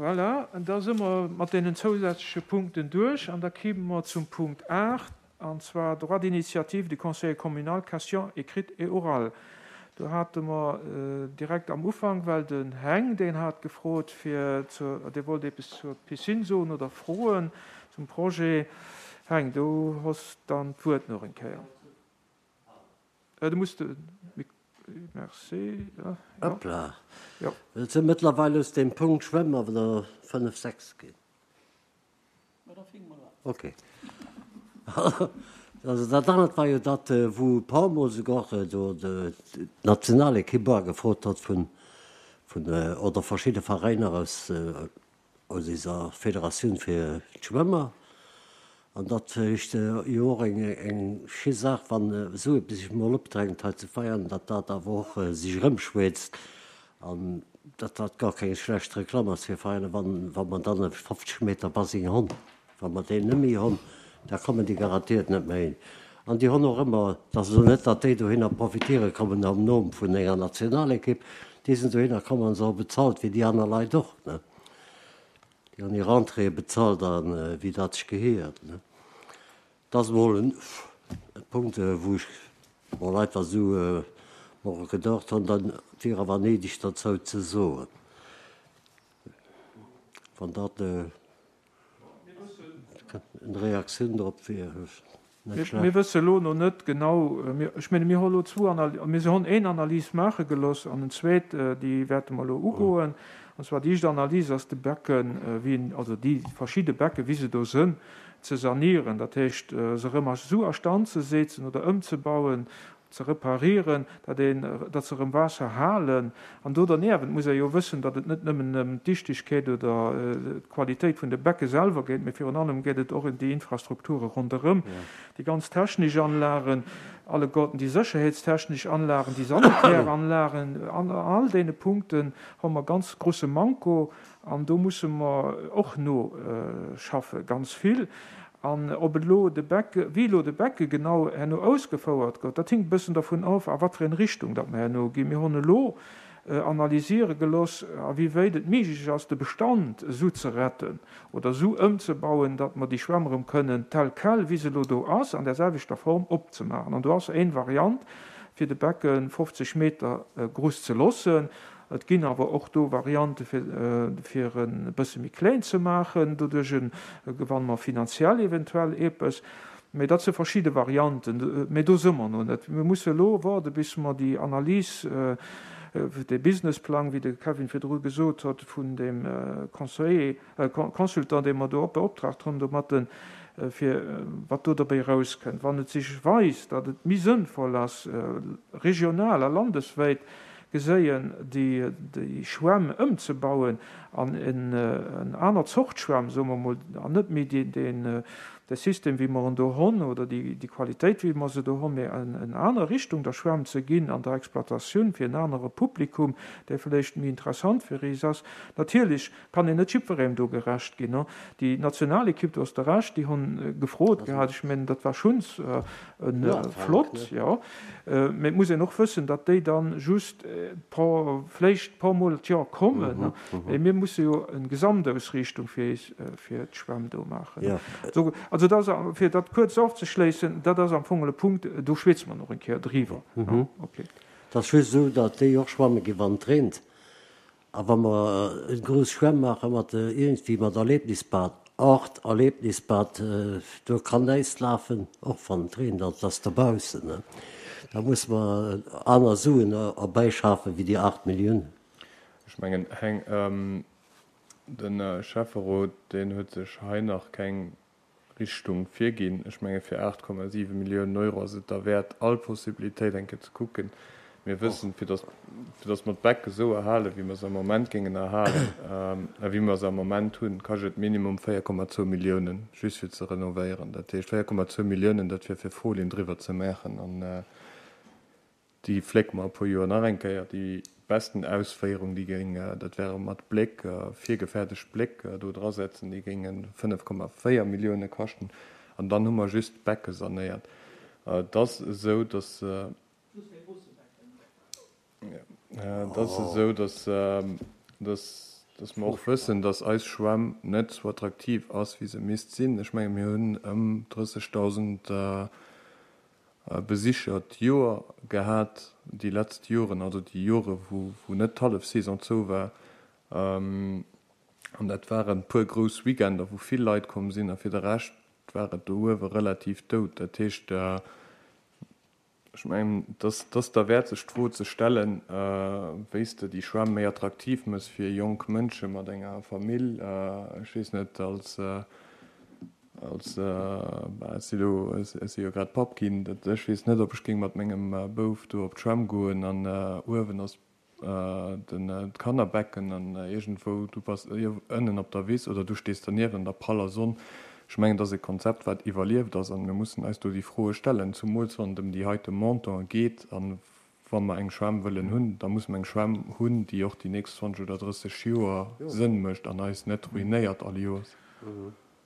Voilà, da si mer mat deenen zousätzleche Punkten duerch an da kime mer zum Punkt 8, an zwar Droit d'initiative du Conseiller communal, questions écrites et orales. Do hate mer direkt am Ufank, well den Heng, deen hat gefrot fir zur, dee wollt eppes zur Piscine soen oder froen zum Projet. Heng, du hues dann d'Wuert nach eng Kéier. Du muss de Mik, merci, jo. Hoppla, et sinn mëttlerweil aus deem Punkt Schwämm awer der 5, 6 ginn. Ok. Also dat anert war jo dat, wou e puer Mol souguer do d'Nationalekipp agefrot huet vun, vun, oder verschidde Veräiner aus, aus eiser Federatioun fir d'Schwëmmer. An dat heescht jo och eng, eng schi Saach, wann esou eppes sech emol opdrängt hei zu Veianen, datt dat awer och sech erëmschwätzt. An datt dat gar keng schlecht Reklamm ass fir Veräiner, wann, wa mer dann e 50 Meter Basing honn. Wa mer deen net méi honn, da kommen déi garantiert net méi hin. An déi honn och ëmmer, et ass elo net, datt déi dohinner profitiere kommen am Nom vun enger Nationalekipp, déi sinn dohinner komm an se hu bezahlt wéi déi aner Leit och, ne. Déi hunn hir Entréeë bezahlt a wéi dat sech gehéiert, ne. Dat ass emol e Punkt, wou ech mol einfach esou mer gedacht hunn, dat wier awer néideg derzou ze soen, wann dat eng Reaktioun drop wier, net schlecht. Mir wësse elo no net genau, ech menge mir hu elo zwou Analysen, mir hunn een Analys maache gelooss an en zweet, déi wäerte mer elo ugoen. An zwar déi éischt Analys ass de Becken, wéi en, also déi verschidde Becken, wéi se do sënn, ze sanieren, dat heescht se erëm esou a Stand ze setzen oder ëmzebauen, ze reparieren, datt een, datt se erëm Waasser halen. An do derniewent muss ee jo wëssen, datt et net nëmmen ëm d'Dichtegkeet oder d'Qualitéit vun de Becke selwer geet, mee virun allem geet et och ëm déi Infrastrukture ronderëm, déi ganz technesch Anlagen, alleguerten déi sécherheetstechnesch Anlagen, déi sanitär Anlagen. An all deene Punkten hu mer ganz grosse Manko. An do musse mer och noschaffe ganz vill. An ob elo de Becke, wéi elo de Becke genau herno ausgefouert gëtt, dat hinkt e bëssen dervun of, a wat fir eng Richtung datt mer herno ginn. Mir hunn elo analysiere gelooss, a wéi wéit et méiglech ass, de Bestand esou ze retten oder esou ëmzebauen, datt mer déi Schwämm erëm kënnen tel quel, wéi se elo do ass, an där selwechter Form opzemaachen. An do ass éin Variant, fir de Becke 50 Meter gruss ze loossen. Et ginn awer och do Variante fir en e bësse méi kleng ze maachen. Doduerch gewanne mer finanziell eventuell eepes. Mee dat si verschidde Varianten. Mee do si mer no net. Mir musse elo waarde bis mer déi Analys, dee Businessplang, wéi de Kevin virdru gesot huet, vun deem Conseiller, Consultant, dee mer do beoptraagt hunn domatten, fir wat do dobäi erauskënnt. Wann et sech weist, datt et méi sënnvoll ass, regional a landeswäit geséien, déi Schwämm ëmzebauen an en aner Zort Schwämm, soe mer emol, an net méi deen de System, wéi mer en do honn, oder déi Qualitéit, wéi mer se do honn, mä en aner Richtung der Schwämm ze ginn an der Exploitatioun fir en anere Publikum, dee vläicht méi interessant fir is ass. Natierlech Kann een net jiddwerengem do gerecht ginn. Déi Nationalekipp, do hues de Recht, déi hunn gefrot gehat. Ech mengen, dat war schunns flott, jo. Mee et muss een och wëssen, datt déi dann just vléicht e puer Mol d'Joer kommen. Mee mir musse jo eng Gesamtausriichtung fir fir d'Schwämm do maachen. Also dat ass, fir dat kuerz ofzeschléissen, dat ass am Fong e Punkt, do schwätze mer nach eng Kéier driwwer. Okay. Et ass just esou, datt déi och schwamme ginn, wann et reent. A wa mer e grouss Schwämm maache mat iergendwéi mat Erlebnisbad, Art Erlebnisbad, do kann näischt lafen, och wann et reent, an et ass dobaussen, ne, da musse mer aner Suen erbäischafen wéi déi 8 Milliounen. Ech mengen, Heng, de Schäfferot, deen huet sech hei nach keng Richtung virginn. Ech menge fir 8,7 Milliounen Euro ass et derwäert, all Possibilitéit eng Kéier ze kucken. Mir wëssen, fir datt, fir datt mer d'Becke esou erhalen, wéi mer se am Moment géingen erhalen, a wéi mer se am Moment hunn, kascht et minimum 4,2 Milliounen, just fir ze renovéieren. Dat heescht, 4,2 Milliounen, dat wier fir Folien driwwer ze maachen. An Déi flécke mer e puer Joer nach eng Kéier. Déi besten Ausféierung, déi géing, dat wäre mat Bléck, virgefäerdegt Bléck do drasetzen, déi géinge 5,4 Millioune kaschten. An dann hu mer just d'Becke sanéiert. Et ass esou, datt, et ass esou, datt, datt. Dass mer och wëssen, dass eis Schwämm net sou attraktiv ass, wéi se misst sinn. Ech menge mir hunn ëm 30.000 Besicher d'Joer gehat déi letzt Joren, also déi Jore wou net d'Hallefsaison zou war. An dat waren e puer grouss Weekender, wou vill Leit komm sinn a fir de Rescht war et do uewe relativ dout. Dat heescht, Ech mengen, et ass derwäert sech d'Fro ze stellen, wéi s de déi Schwämm méi attraktiv méchs fir jonk Mënsche mat enger Famill. Ech weess net, als, als, bah, ech si lo, ech si jo grad Papp ginn, ech weess net, ob ech géing mat mengem Bouf do op d'Schwämm goen an uewen ass den d'Kannerbecken an iergendwou, du bass ënnen op der Wiss oder du stees dernieft an der praller Sonn. Ech mengen, et ass e Konzept, wat iwwerlieft ass an mir mussen eis do déi Froe stellen, zumools wann et ëm déi heite Montantë geet. A wa mer eng Schwämm wëllen hunn, da musse mer eng Schwämm hunn, déi och déi nächst 20 oder 30 Joer Sënn mécht an eis net ruinéiert all Joers.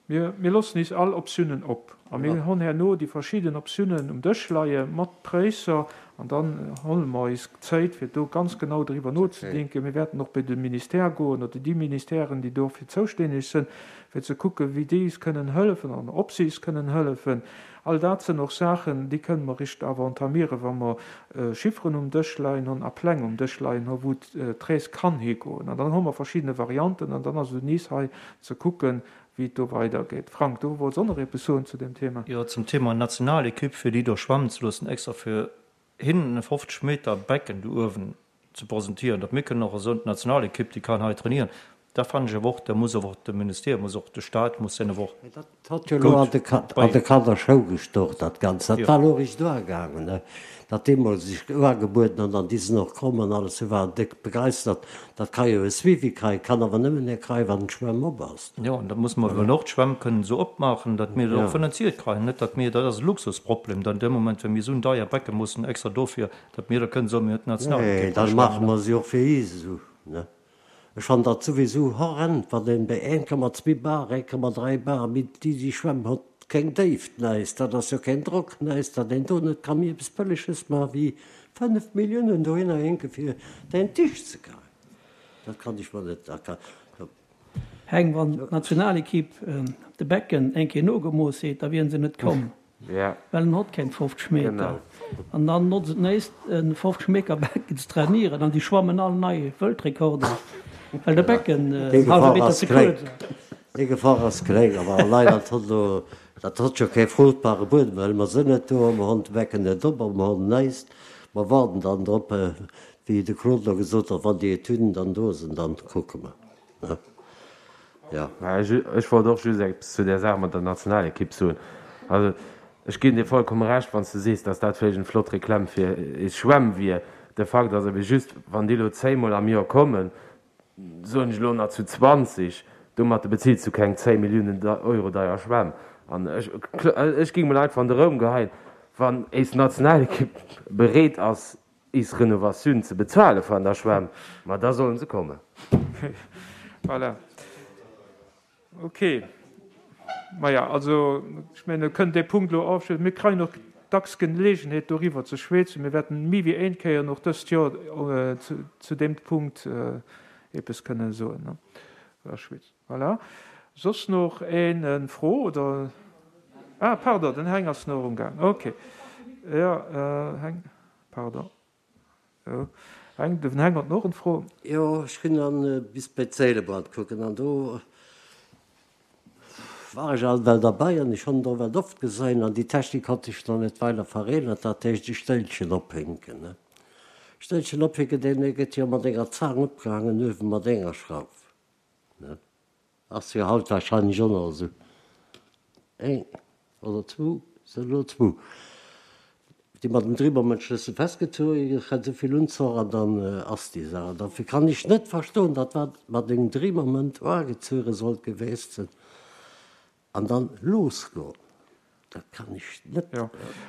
Mir, mir loossen is all Optiounen op a mir honn herno déi verschidden Optiounen um Dësch leie mat Präisser an dann holle mer is Zéit fir do ganz genau driwwer nozedenken. Mir wäerten och bei de Ministère goen oder déi Ministèren, déi dofir zoustänneg sënn, fir ze kucken, wéi déi is kënnen hëllefen an ob se is kënnen hëllefen. All dat sënn och Saachen, déi kënnen mer richt awer entamieren, wa mer Chifferen um Dësch leien honn a Pläng um Dësch leien honn, wou d'Rees kann higoen. An dann hu mer verschiddene Varianten an dann ass et un is hei ze kucken, wéi et do weidergeet. Frank, du wollts och nach eppes soen zu dem Thema? Jo, zum Thema Nationalequipe, fir déi do schwammen ze loossen, extra fir hinnen e 50 Meter Becken do uewen ze presentieren, datt mir kënnen och esou d'Nationalequipe, déi kann hei trainieren, da fannen ech awer och, da muss awer och de Ministère, muss och de Stat muss deen awer och Dat hott jo elo an de an de Kanner Schou gestoch, dat Ganzt. Dat war elo richt uagaangen, ne, datt deemools sech uagebueden an dann déi sinn och komm an alles, se waren déck begeistert. Dat ka jo e Suivi kréien, kann awer nëmmen e kréien, wann d'Schwämm op ass. Jo, an da musse mer eben och d'Schwämm kënnen esou opmaachen, datt mir dat och finanziert kréien. Net datt mir, dat ass e Luxusproblem dann dee Moment, wa mir esou en deier Becke mussen extra dofir, datt mir da kënnen soen, mir hunn d'Nationalekipp Nee, da maache mer se och fir is esou, ne. Ech fannen dat souwisou horrend, wann een bei 1,2 Bar, 1,3 Bar, mee déi déi Schwämm hott keng Déift näist, dat ass jo keen Drock näist, datt een do net ka méi eppes Bëlleges maachen wéi 5 Milliounen dohinner hinke fir deen Tisch ze kréien. Dat kann ech mer net erklären. Heng, wann d'Nationalequipe de Becken eng Kéier nogemooss heet, da wieren se net komm. Well en hott keng 50 Meter. An dann notzt et néist en 50 Meter Becken ze trainieren an déi schwammen all nei Wëltrekorder, well de Becken en halwe Meter ze kuerz ass. Déi Gefor ass kléng, awer allei dat hott elo, dat hott jo kee fruchtbare Buedem, well mer sinn net do a mer honn de Becken net op a mer honn néist. Mer waarden dann drop, wéi de Claude elo gesot huet, wann déi Etüden dann do sinn, dann kucke mer. Jo. Ech wollt och just eppes zu där Saach mat der Nationalekipp soen. Also ech ginn dir vollkomme Recht, wann s de sees, datt dat vläicht eng flott Reklamm fir is Schwämm wier. De Fakt ass awer just, wann déi elo zéngmol am Joer kommen, soen ech elo nach zu 20, domatter bezills du keng 10 Milliounen Euro deier Schwämm. An ech, ech géing mol einfach an de Raum geheien, wann éis Nationalekipp bereet ass, is Renovatioun ze bezuale van der Schwämm, ma da sollen se kommen. Voilà. Ok. Maja, also ech mengen, mir kënnen dee Punkt elo ofschléissen. Mir kréien och dacks Gelegenheet, doriwwer ze schwätzen. Mir wäerten méi wéi een Kéier och dëst Joer zu deem Punkt eppes kënnen soen oder schwätzen. Voilà. Soss nach een Fro oder? Ah, pardon, den Heng ass nach umgaang. Ok. Jo, Heng. Pardon. Jo. Heng, den Heng huet och en Fro. Jo, ech ginn dann bis bei d'Séilebrand kucken an do war ech alt well derbei an ech hunn et och well oft gesein an déi Technik hat sech nach net weider verännert, dat heescht e Stéilchen ophänken, ne. Stéilchen ophänken, deen gëtt jo mat enger Zaang opgehaangen uewe mat enger Schrauf, ne. Ass jo haut wahrscheinlech och nach esou. Eng oder zwou, sinn elo zwou, déi mat dem Dribermënschlëssel festgezogen ginn, kritt esou vill Unzoch an dann ass déi Saach. An dofir kann ech net verstoen, datt wat mat engem Dribermënt uagezuere sollt geweest sinn an dann losgoen. Dat kann ech net. Jo,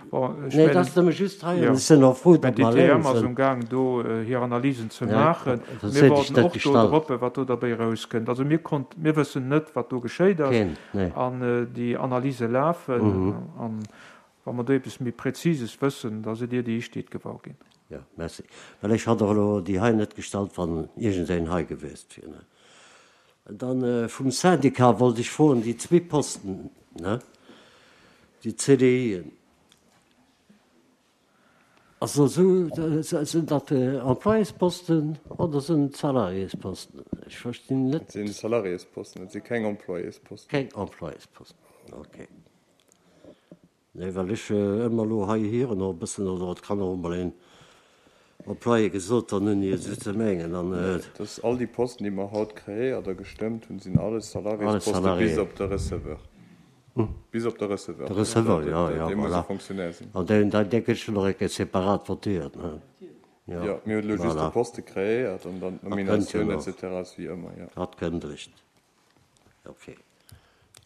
bon, ech Nee, mengen, dat ass nëmme just hei, jo, an ech sinn och frou, ech mengen, datt mer d'ITM eleng ass sinn. um Gaang do hir Analysen ze maachen. Dat Mir seet ech waarden net och do gestallt. drop, wat do derbäi erauskënnt. Also mir konnt, mir wëssen net, wat do geschéit ass. Keen, nee. An déi Analyse lafen. An wa mer do eppes méi Präzises wëssen, da sidd Dir déi Éischt, déi et gewar ginn. Jo, merci. Well ech hat och elo déi hei net gestallt, wann iergendeen hei gewiescht wier, ne. Dann vum Syndicat wollt ech froen, déi zwee Posten, ne, déi CDIen, also esou, sinn dat Employésposten oder sinn et Salariésposten? Ech verstinn net. Et si Salariésposten, et si keng Employésposten. Keng Employésposten, okay. Nee, well ech ëmmer elo hei hiren och e bëssen, oder et kann och emol een Employé gesot dann hunn, esou ze mengen an. Dass all déi Posten, déi mer haut kreéiert a gestëmmt hunn, sinn alles Salariésposten bis op de Receveur. Bis op de Receveur. De Receveur, jo, jo, Dee muss e Fonctionnaire sinn. An deen, dee gëtt schonn nach eng Kéier separat votéiert, ne? Jo, mir hunn elo just de Poste kreéiert an dann d'Nominatioun et cetera ass wéi ëmmer, jo. Dat kënnt eréischt. Ok.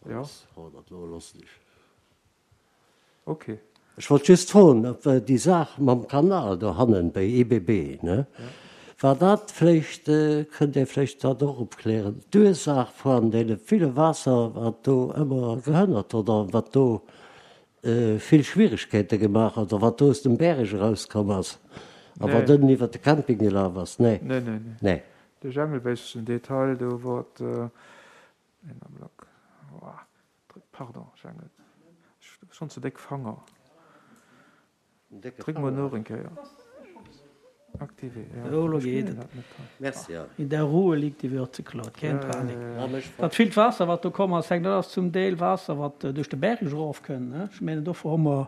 Jo. Dat elo loossen ech. Ok. Ech wollt just froen, ob déi Saach mam Kanal dohannen bei EBB, ne, war dat vläicht, kënnt Dir vläicht dat och opklären, d'Ursaach vun deene ville Waasser, wat do ëmmer gehënnert oder wat do vill Schwierigkeete gemaach huet, oder wat do aus dem Bäreg erauskomm ass a wat ënnen iwwert de Camping gelaf ass? Nee. Nee, nee, nee. Nee. De Jangel weess den Detail, do wor et een Ablack, pardon Jangel, ech hu schonn ze déck Fanger. Dréck mol nach eng Kéier. Activé, jo. Elo elo geet et. Merci. In der Ruhe liegt die Würze, Claude, keng Panik. Dat villt Waasser, wat do komm ass, hänkt, dat ass zum Deel Waasser, wat duerch de Berg erofkënnt. Ech mengen, dofir hu mer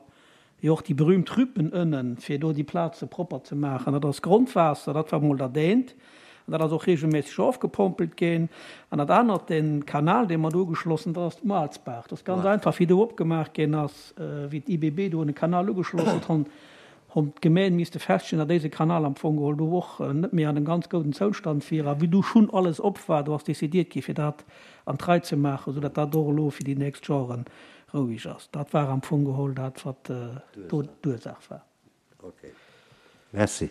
jo och déi berühmt Rüppen ënnen, fir do déi Plaze propper ze maachen. Dat ass Grondwaasser, dat war mol dat eent. An dat ass och regelméisseg ofgepompelt ginn. An dat anert, dee Kanal, dee mer do ugeschloss hunn, dat ass d'Moalsbaach. Dat ass ganz einfach, wéi do opgemaach ginn ass, wéi d'IBB do e Kanal ugeschloss huet, hunn hunn d'Gemeen misste feststellen, datt déise Kanal am Fong geholl do och net méi an engem ganz gouden Zoustand wier. A wéi du schonn alles op war, do ass décidiert gi fir dat an d'Rei ze maachen, esou datt dat och elo fir déi nächst Joren roueg ass. Dat war am Fong geholl dat, wat do d'Ursaach war. Okay. Merci.